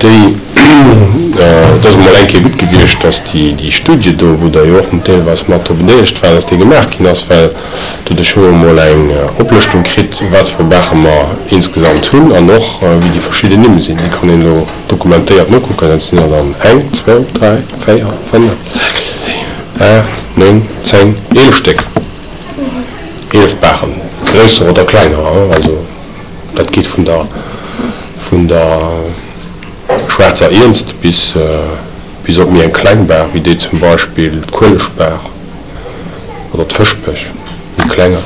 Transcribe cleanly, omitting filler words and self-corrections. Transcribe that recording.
Déi, et ass emol eng Kéier gutt gewiescht, datt déi Studie do, wou Der jo och deelweis mat dru bedeelegt waart, datt déi gemaach ginn ass, well doduerch hu mer emol eng Oplëschtung kritt, wat fir Baache mer insgesamt hunn an och wéi déi verschidden Nimm sinn. Déi kann een elo dokumentéiert nokucken. Dat sinn der dann eng, zwou, dräi, véier, fënnef, sechs, siwen, aacht, néng, zéng, 11 Stéck. 11 Baachen, gréisser oder klenger, also dat geet vun der vun der Schwaarzer Iernst bis bis op méi eng kleng Baach, wéi déi zum Beispill d'Kueleschbaach oder d'Fëschbech, méi klenger.